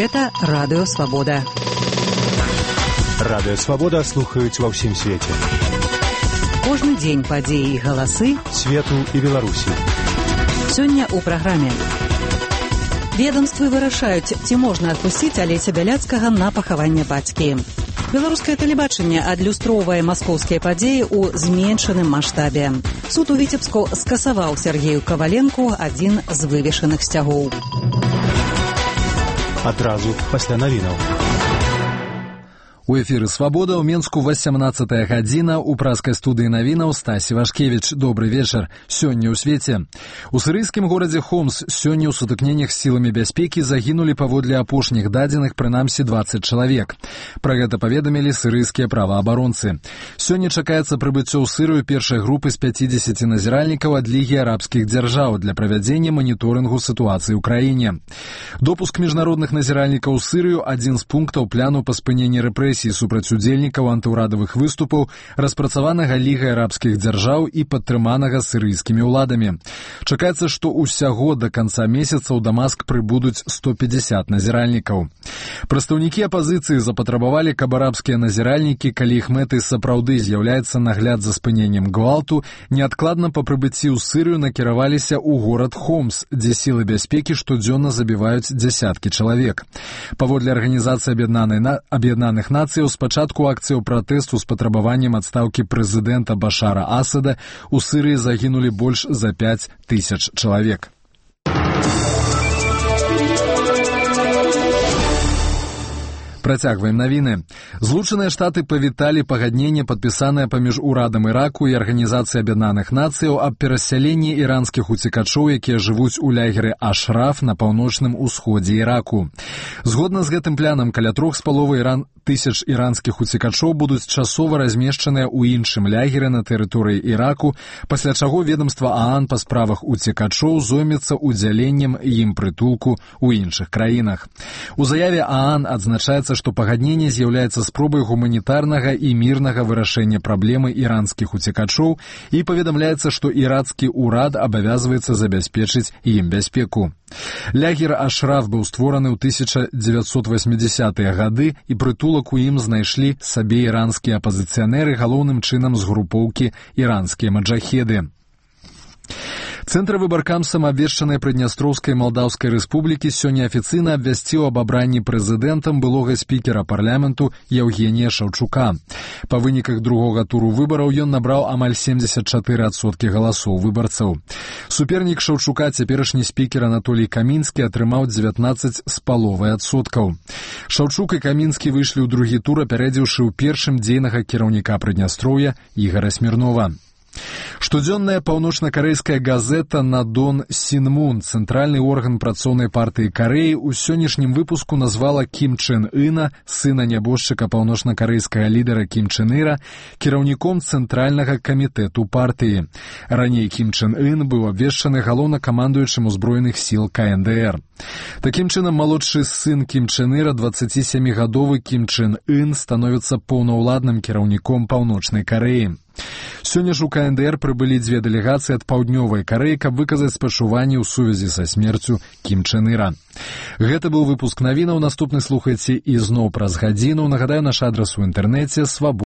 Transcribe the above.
Гэта Радыё Свабода. Радыё Свабода слухаюць ва ўсім свеце. Кожны дзень падзеі і галасы свету і Беларусі. Сёння ў праграме. Ведомствы вырашаюць, ці можна адпусціць Алеся Бяляцкага на пахаванне бацькі. Беларускае тэлебачанне адлюстроўвае маскоўскія падзеі ў зменшаным маштабе. Суд у Віцебску скасаваў Сергею Каваленку адзін з вывешаных сцягоў. Адразу пасля навінаў. У эфіры «Свабода» ў Менску 18 гадзіна. У праскай студыі навінаў Стасі Вашкевіч. Добры вечар. Сёння ў свеце. У сірыйскім горадзе Хомс сёння ў сутыкненнях з сіламі бяспекі загінулі паводле апошніх дадзеных прынамсі 20 чалавек. Пра гэта паведамілі сірыйскія праваабаронцы. Сёння чакаецца прыбыццё ў Сырыю першай групы з 50 назіральнікаў ад Лігі арабскіх дзяржаў для правядзення маніторынгу сітуацыі ў краіне. Допуск міжнародных назіральнікаў у Сырыю адзін з пунктаў пляну па спыненні рэпрэсій супраць удзельнікаў антыўрадавых выступаў, распрацаванага Лігай арабскіх дзяржаў і падтрыманага сірыйскімі ўладамі. Чакаецца, што ўсяго да канца месяца ў Дамаск прыбудуць 150 назіральнікаў. Прадстаўнікі апазіцыі запатрабавалі, каб арабскія назіральнікі, калі іх мэтай сапраўды з'яўляецца нагляд за спыненнем гвалту, неадкладна па прыбыцці ў Сырыю накіраваліся ў горад Хомс, дзе сілы бяспекі штодзённа забіваюць дзясяткі чалавек. Паводле Арганізацыі Аб'яднаных Нацый, спачатку акцыяў пратэсту з патрабаваннем адстаўкі прэзідэнта Башара Асада у Сырыі загінулі больш за 5000 чалавек. Працягваем навіны. Злучаныя Штаты павіталі пагадненне, падпісанае паміж урадам Іраку і Арганізацыяй Аб'яднаных Нацыяў аб перасяленні іранскіх уцекачоў, якія жывуць у лагеры Ашраф на паўночным усходзе Іраку. Згодна з гэтым планам, каля 3,5 тысяч іранскіх уцекачоў будуць часова размешчаныя ў іншым лагеры на тэрыторыі Іраку, пасля чаго ведомства ААН па справах уцекачоў зоймецца ўдзяленнем ім прытулку ў іншых краінах. У заяве ААН адзначаецца, што пагадненне з'яўляецца спробай гуманітарнага і мірнага вырашэння праблемы іранскіх уцекачоў і паведамляецца, што ірацкі ўрад абавязваецца забяспечыць ім бяспеку. Лагер Ашраф быў створаны ў 1980-е гады, і прытулак у ім знайшлі сабе іранскія апазіцыянеры, галоўным чынам з групоўкі іранскія маджахеды. Цэнтравы баркамсам абвешчанай Прыднястроўскай Малдаўскай рэспублікі сёння афіцыйна абвясціў аб абранні прэзідэнтам былога спікера парламенту Яўгенія Шаўчука. Па выніках другога туру выбараў ён набраў амаль 74% галасоў выбарцаў. Супернік Шаўчука, цяперашні спікер Анатолій Камінскі, атрымаў 19,5%. Шаўчук і Камінскі выйшлі ў другі тур, апярэдзіўшы ў першым дзейнага кіраўніка Прыднястроўя Ігара Смірнова. Штодзённая паўночна-карэйская газета «Надон Сінмун», цэнтральны орган працоўнай партыі Карэі, у сённяшнім выпуску назвала Кім Чен Іна, сына нябожчыка паўночна-карэйскага лідара Кім Чен Іра, кіраўніком цэнтральнага камітэту партыі. Раней Кім Чен Ін быў абвешчаны галоўнакамандуючым узброеных сіл КНДР. Такім чынам, малодшы сын Кім Чен Іра, 27-гадовы Кім Чен Ін, становіцца паўнаўладным кіраўніком Паўночнай Карэі. Сёння ж у КНДР прыбылі дзве дэлегацыі ад Паўднёвай Карэі, каб выказаць спачуванні ў сувязі са смерцю Кім Чен Іра. Гэта быў выпуск навінаў. Наступны слухайце ізноў праз гадзіну. Нагадаю, наш адрас у інтэрнэце